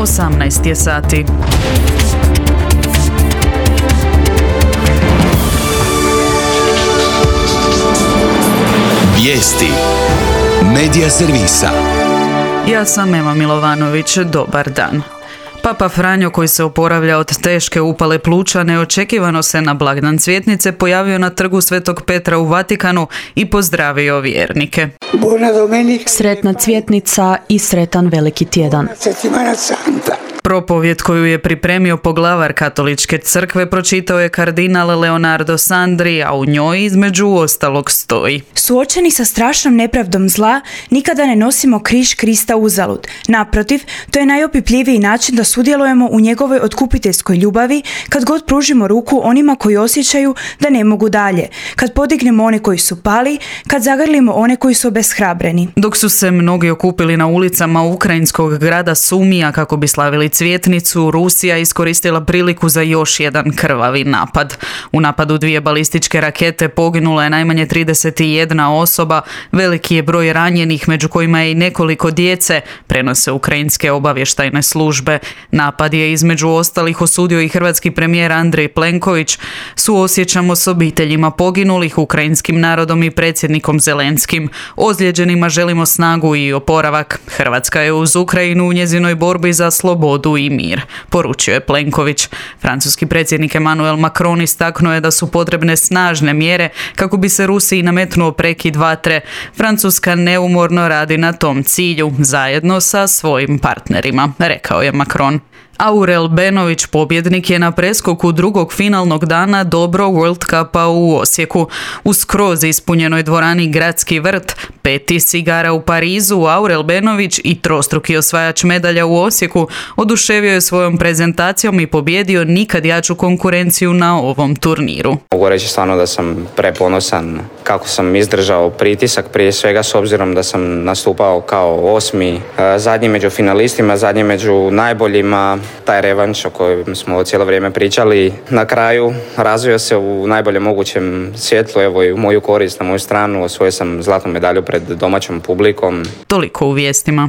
18 je sati. Vijesti Medija servisa. Ja sam Ema Milovanović, dobar dan. Papa Franjo, koji se oporavlja od teške upale pluća, neočekivano se na blagdan Cvjetnice pojavio na trgu Svetog Petra u Vatikanu i pozdravio vjernike. Sretna Cvjetnica i sretan Veliki tjedan. Propovjed koju je pripremio poglavar Katoličke crkve pročitao je kardinal Leonardo Sandri, a u njoj između ostalog stoji: Suočeni sa strašnom nepravdom zla, nikada ne nosimo križ Krista uzalud. Naprotiv, to je najopipljiviji način da sudjelujemo u njegovoj otkupiteljskoj ljubavi, kad god pružimo ruku onima koji osjećaju da ne mogu dalje, kad podignemo one koji su pali, kad zagrlimo one koji su obeshrabreni. Dok su se mnogi okupili na ulicama ukrajinskog grada Sumija kako bi slavili Cvjetnicu, Rusija iskoristila priliku za još jedan krvavi napad. U napadu 2 balističke rakete poginula je najmanje 31 osoba, veliki je broj ranjenih, među kojima je i nekoliko djece, prenose ukrajinske obavještajne službe. Napad je između ostalih osudio i hrvatski premijer Andrej Plenković. Suosjećamo s obiteljima poginulih, ukrajinskim narodom i predsjednikom Zelenskim. Ozlijeđenima želimo snagu i oporavak. Hrvatska je uz Ukrajinu u njezinoj borbi za slobodu i mir, poručio je Plenković. Francuski predsjednik Emmanuel Macron istaknuo je da su potrebne snažne mjere kako bi se Rusiji nametnuo prekid vatre. Francuska neumorno radi na tom cilju, zajedno sa svojim partnerima, rekao je Macron. Aurel Benović, pobjednik, je na preskoku drugog finalnog dana Dobro World Cupa u Osijeku. U skroz ispunjenoj dvorani Gradski vrt, 5. igara u Parizu, Aurel Benović i trostruki osvajač medalja u Osijeku oduševio je svojom prezentacijom i pobjedio nikad jaču konkurenciju na ovom turniru. Mogu reći stvarno da sam preponosan kako sam izdržao pritisak, prije svega s obzirom da sam nastupao kao 8. zadnji među finalistima, zadnji među najboljima. Taj revanš o kojem smo cijelo vrijeme pričali na kraju razvio se u najboljem mogućem svjetlu, evo i u moju korist, na moju stranu. Osvojio sam zlatnu medalju pred domaćom publikom. Toliko u vijestima.